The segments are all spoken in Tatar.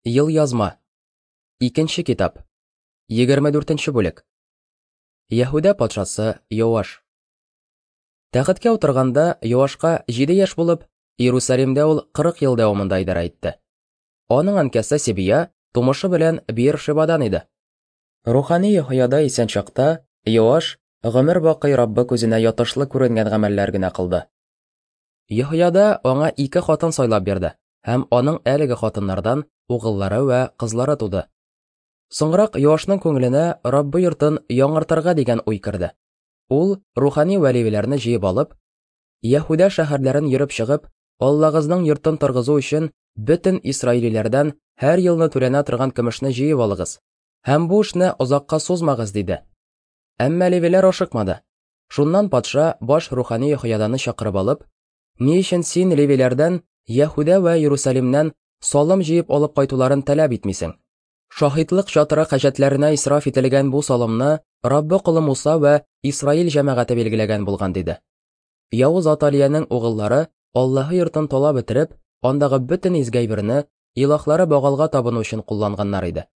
Елъязма. Икенче китап. 24 бүлек. Яһүдә патшасы Йоаш. Тәхеткә утырганда Йоашка 7 яшь булып, Иерусалимдә ул 40 ел дәвамында идарә итте. Аның әнкәсе Сибия тумышы белән Беер-Шебадан иде. Рухани Йоһояда исән чакта Йоаш гомер бакый Раббы күзенә ятышлы күренгән гамәлләр генә кылды. Йоһояда аңа ике хатын сайлап бирде һәм аның әлеге хатыннардан угыллары вә кызлары туды. Соңрак Йоашның күңеленә Раббы йортын яңартырга дигән уй керде. Ул рухани вә левиләрне җыеп алып, Яһүдә шәһәрләрен йөреп чыгып, Аллагызның йортын торгызу өчен бөтен исраилиләрдән һәр елны түләнә торган көмешне җыеп алыгыз һәм бу эшне озакка сузмагыз, диде. Әмма левиләр ашыкмады. Шуннан патша баш рухани Йоһояданы чакырып алып, Ни өчен син левиләрдән Яһүдә вә Иерусалимнән салым җыеп алып кайтуларын таләп итмисең? Шаһитлык чатыры хаҗәтләренә исраф ителгән бу салымны Раббы колы Муса вә Исраил җәмәгате билгеләгән булган, диде. Явыз Аталиянең угыллары Аллаһы йортын талап бетереп, андагы бөтен изге әйберне илаһлары Багалга табыну өчен кулланганнар иде.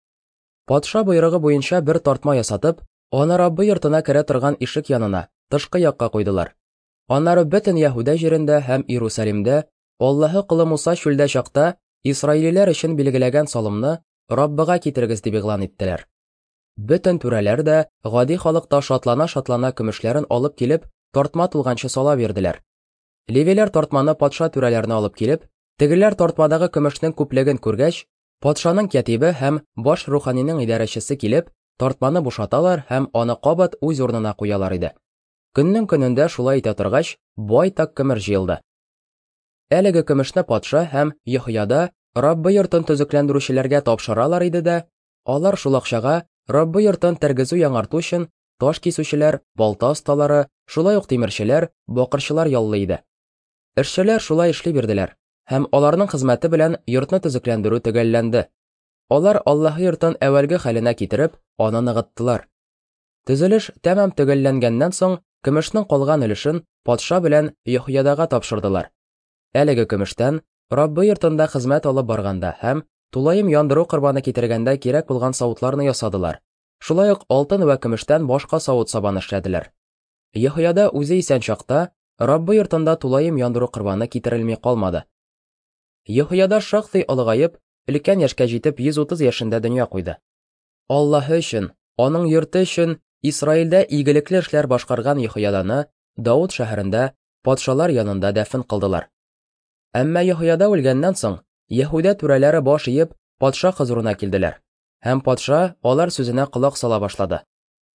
Патша боерыгы буенча бер тартма ясатып, аны Раббы йортына керә торган ишек янына, тышкы якка куйдылар. Аннары бөтен Яһүдә җирендә һәм Иерусалимдә Аллаһы колы Муса чүлдә чакта исраилиләр өчен билгеләгән салымны Раббыга китерегез дип игълан иттеләр. Бөтен түрәләр дә, гади халык та шатлана-шатлана көмешләрен алып килеп, тартма тулганчы сала бирделәр. Левиләр тартманы патша түрәләренә алып килеп, тегеләр тартмадагы көмешнең күплеген күргәч, патшаның кятибе һәм баш руханиның идарәчесе килеп, тартманы бушаталар һәм аны кабат үз урынына куялар иде. Көннең көнендә шулай итә торгач, байтак көмер җыелды. Әлеге көмешне патша һәм Йоһояда Раббы йортын төзекләндерүчеләргә тапшыралар иде дә, алар шул акчага Раббы йортын тергезү-яңарту өчен таш кисүчеләр, балта осталары, шулай ук тимерчеләр, бакырчылар яллый иде. Эшчеләр шулай эшли бирделәр, һәм аларның хезмәте белән йортны төзекләндерү төгәлләнде. Алар Аллаһы йортын әүвәлге хәленә китереп, аны ныгыттылар. Төзелеш тәмам төгәлләнгәннән соң, көмешнең калган өлешен патша белән Йоһоядага тапшырдылар. Әлеге көмештән Раббы йортында хезмәт алып барганда һәм тулаем яндыру корбаны китергәндә кирәк булган савытларны ясадылар. Шулай ук алтын вә көмештән башка савыт-сабаны эшләделәр. Йоһояда үзе исән чакта Раббы йортында тулаем яндыру корбаны китерелми калмады. Йоһояда шактый олыгаеп, өлкән яшькә җитеп 130 яшендә дөнья куйды. Аллаһы өчен, аның йорты өчен Исраилдә игелекле эшләр башкарган Йоһояданы Давыт шәһәрендә патшалар янында дәфен кылдылар. Әмма Йоһояда үлгәннән соң, Яһүдә түрәләре баш иеп, патша хозурына килделәр. Һәм патша алар сүзенә колак сала башлады.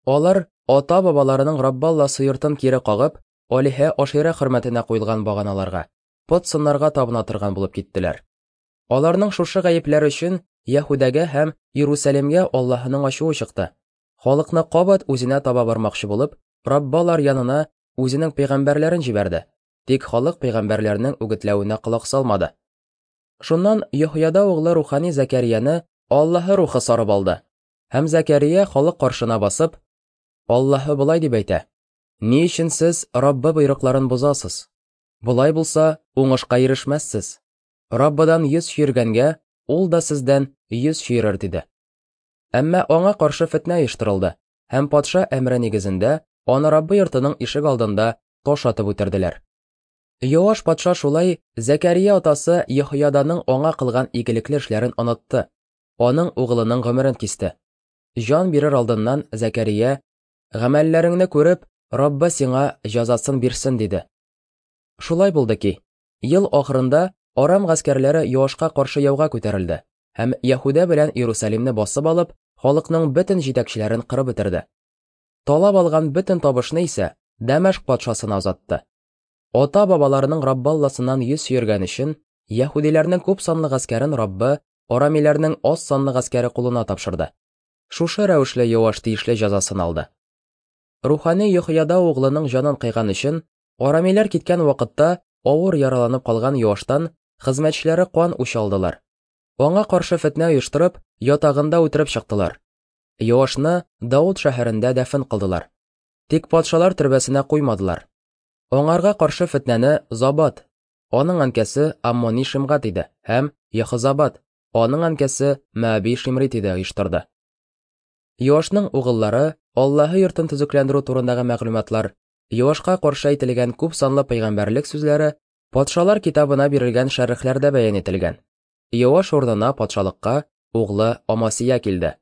Алар ата-бабаларының Раббы Алласы йортын кире кагып, алиһә Аширә хөрмәтенә куелган баганаларга, пот сыннарга табына торган булып киттеләр. Аларның шушы гаепләре өчен Яһүдәгә һәм Иерусалимгә Аллаһының ачуы чыкты. Халыкны кабат үзенә таба бармакчы булып, Раббы алар янына үзенең пәйгамбәрләрен җибәрде, тик халык пәйгамбәрләрнең үгетләвенә колак салмады. Шуннан Йоһояда углы рухани Зәкәрияне Аллаһы рухы сарып алды. Һәм Зәкәрия халык каршына басып, Аллаһы болай дип әйтә: Ни өчен сез Раббы боерыкларын бозасыз? Болай булса, уңышка ирешмәссез. Раббыдан йөз чөергәнгә, ул да сездән йөз чөерер, диде. Әмма аңа каршы фетнә оештырылды, һәм патша әмере нигезендә аны Раббы йортының ишек алдында таш атып үтерделәр. Йоаш патша шулай Зәкәрия атасы Йоһояданың аңа кылган игелекле эшләрен онытты, аның угылының гомерен кисте. Җан бирер алдыннан Зәкәрия, Гамәлләреңне күреп, Раббы сиңа җәзасын бирсен, диде. Шулай булды ки, ел ахырында Арам гаскәрләре Йоашка каршы яуга күтәрелде һәм Яһүдә белән Иерусалимны басып алып, халыкның бөтен җитәкчеләрен кырып бетерде. Талап алган бөтен табышны исә Дәмәшк патшасына озатты. Ата-бабаларының Раббы Алласыннан йөз чөергән өчен, яһүдиләрнең күп санлы гаскәрен Раббы арамиләрнең аз санлы гаскәре кулына тапшырды. Шушы рәвешле Йоаш тиешле җәзасын алды. Рухани Йоһояда углының җанын кыйган өчен, арамиләр киткән вакытта авыр яраланып калган Йоаштан хезмәтчеләре кан үч алдылар. Аңа каршы фетнә оештырып, ятагында үтереп чыктылар. Йоашны Дауд шәһәрендә дәфен кылдылар. Тик патшалар төрбәсенә куймадылар. Аңарга каршы фетнәне Забат, аның әнкәсе Аммони Шимгат иде, һәм Яхозабат, Аның әнкәсе Мәаби Шимрит иде, оештырды. Йоашның угыллары Аллаһы йортын төзекләндерү турындагы мәгълүматлар, Йоашка каршы әйтелгән күп санлы пәйгамбәрлек сүзләре Патшалар китабына бирелгән шәрехләрдә бәян ителгән. Йоаш урынына патшалыкка углы Амасия килде.